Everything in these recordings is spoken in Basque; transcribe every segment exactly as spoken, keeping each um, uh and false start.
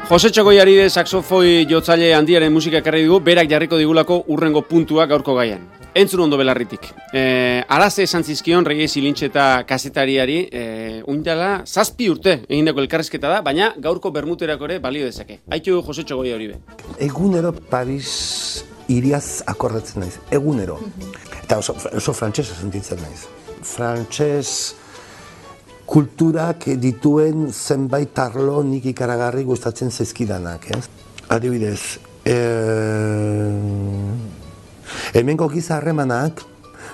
Jose Txogoiaride saxofoi jotzaile handiaren musika ekarri dugu, berak jarriko digulako urrengo puntua gaurko gaian. Entzun ondo belarritik. E, Araze esan zizkion Regi Zilintxeta kazetariari, e, uindala zazpi urte egindako elkarrizketa da, baina gaurko bermuterako ere balio dezake. Aitu Jose Txogoiaride. Egunero Paris iriaz akordatzen naiz, egunero. Eta oso, oso frantsesa sentitzen naiz. Frantses kulturak dituen zenbait arlo nik ikaragarri gustatzen zaizkidanak, ez? Adibidez, e... hemengo giza harremanak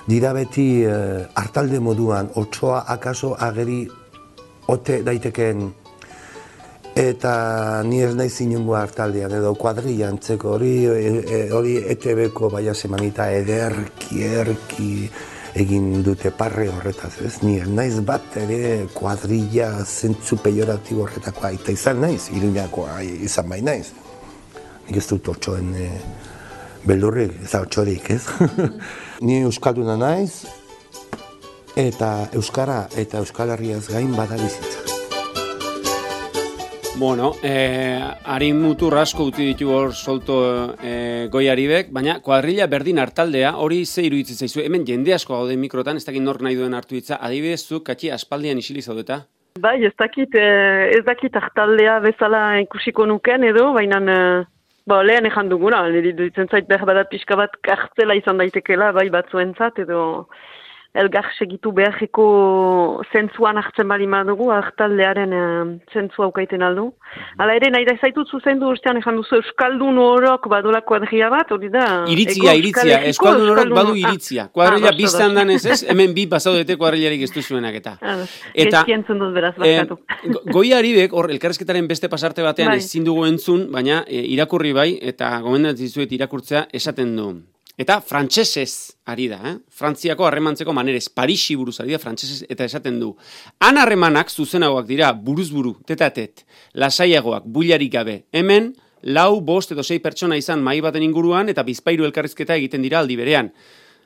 dira beti e, hartalde moduan, otsoa akaso ageri ote daitekeen, eta ni ez naiz inongo hartaldean edo kuadrilla antzeko hori e, hori E T B-ko baia semanita ederki, erki egin dute parre horretaz, ez? Ni ez naiz bat ere kuadrilla zentzu pejoratibo horretakoa, eta izan naiz, Iruñakoa izan bai naiz. Nik ez dut otsoen e, beldurrik, ez da otsorik, ez? Ni euskalduna naiz, eta euskara eta Euskal Herriaz gain bada bizitza. Bueno, eh, harin mutur asko uti ditu hor solto eh, Goiaribek, baina kuadrilla berdin hartaldea, hori ze iruditzen zaizu, hemen jende asko gaude mikrotan, ez dakit nork nahi duen hartu hitza, adibidez zu, katxi aspaldian isili zaudeta? Bai, ez dakit, ez dakit hartaldea bezala ikusiko nuken edo, baina bo, lehen ejan dugula, niri dutzen zait behar badat pixka bat kartzela izan daitekela, bai batzuentzat edo elgar segitu beharreko zentzuan hartzen bali madugu, hartaldearen e, zentzua ukaiten aldu. Hala ere, nahi da zaitut zuzendu ustean ejan duzu Euskaldun horok badola kuadria bat, hori da? Iritzia, iritzia, Euskaldun horok badu iritzia. Kuadrilla ah, biztan danez ez, hemen bi pasaudete kuadrillarik ez duzuenak eta. Eta, dut beraz, barkatu. Eh, Goiaribek, hor, elkarrezketaren beste pasarte batean bai. Ezin dugu entzun, baina e, irakurri bai, eta gomendatzen dizuet irakurtzea esaten du. Eta frantsesez ari da, eh? Frantziako harremantzeko manerez, Parisi buruz ari da frantsesez eta esaten du. Han harremanak zuzenagoak dira, buruz buru, tetatet, lasaiagoak, builarik gabe. Hemen, lau, bost edo sei pertsona izan mai baten inguruan eta bizpairu elkarrizketa egiten dira aldi berean.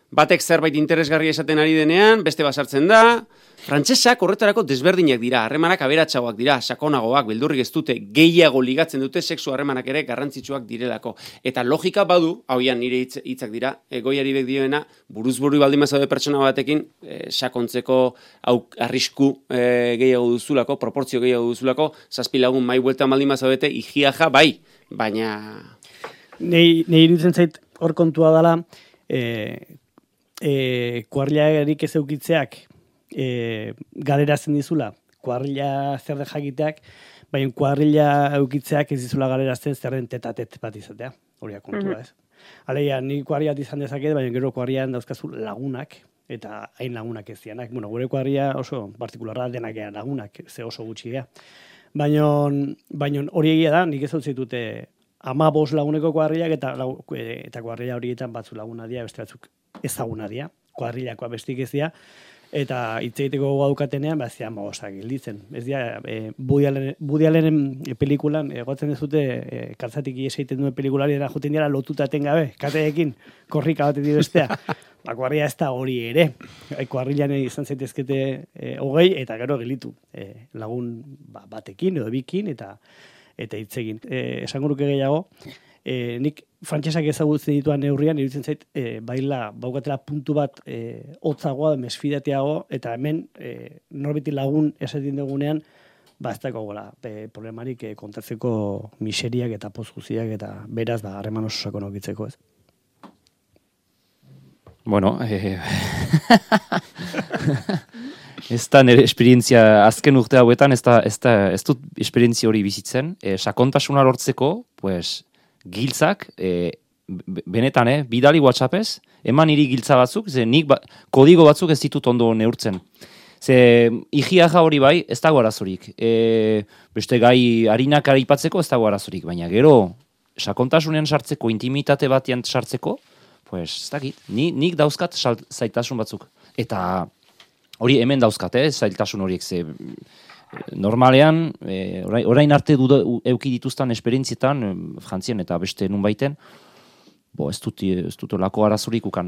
Batek zerbait interesgarria esaten ari denean, beste basartzen da. Frantsesak horretarako desberdinak dira, harremanak aberatsagoak dira, sakonagoak, beldurrik ez dute, gehiago ligatzen dute sexu harremanak ere garrantzitsuak direlako. Eta logika badu, hauian nire hitz, hitzak dira, e, Goiaribek dioena, buruz-buru baldin bazaude pertsona batekin, e, sakontzeko auk, arrisku e, gehiago duzulako, proportzio gehiago duzulako, zazpi lagun mai bueltan baldin bazaudete, igiaja bai, baina... Nei, nei iruditzen zait hor kontua dela, e, e, kuadrillarik ez eukitzeak, E, galeratzen dizula, kuadrilla zer de jakiteak, baina kuadrilla eukitzeak ez dizula galeratzen zerren tetatet bat izatea, hori kontua ez. Alegia, ni kuadrilla izan dezaket, baina gero kuadrillan dauzkazu lagunak, eta hain lagunak ez dianak. Bueno, gure kuadrilla oso partikularra denak ea lagunak, ze oso gutxi ea. Baina, baina hori egia da, nik ez dut zitute ama bost laguneko kuadrillak, eta, eta kuadrilla horietan batzu laguna dia, beste batzuk ezaguna dia, kuadrillakoa bestik ez dia, eta hitz egiteko gogoa dukatenean, ba, zian bagosak gilditzen. Ez dira, e, Woody Allenen pelikulan, egotzen dezute, e, kaltzatik ies egiten duen pelikulari dena joten dira lotutaten gabe, kateekin, korrika batetik bestea. Ba, kuadrilla ez da hori ere. Kuadrillan izan zaitezkete e, hogei, eta gero gelitu. E, lagun ba, batekin edo bikin, eta eta hitz egin. E, esango nuke gehiago, e, nik frantsesak ezagutzen dituan neurrian, iruditzen zait, e, baila, baukatela puntu bat e, hotzagoa, mesfidateago, eta hemen e, norbeti lagun esaten dugunean, ba ez dago gola, e, problemarik e, kontatzeko miseriak eta poz guztiak, eta beraz, ba, harreman oso sakon aukitzeko, ez? Bueno, eh... ez da nire esperientzia azken urte hauetan, ez, da, ez, da, ez dut esperientzia hori bizitzen, e, sakontasuna lortzeko, pues, giltzak, e, benetan, eh, bidali WhatsAppez, eman niri giltza batzuk, ze nik ba, kodigo batzuk ez ditut ondo neurtzen. Ze higiaja hori bai, ez dago arazorik. E, beste gai harinak aipatzeko ez dago arazorik, baina gero, sakontasunean sartzeko, intimitate batean sartzeko, pues, ez dakit, ni, nik dauzkat zailtasun batzuk. Eta hori hemen dauzkat, eh, zailtasun horiek, ze normalean, e, orain, orain arte duda, euki dituztan esperientzietan, frantzian eta beste nun baiten, bo, ez dut, ez dut lako arazorik ukan.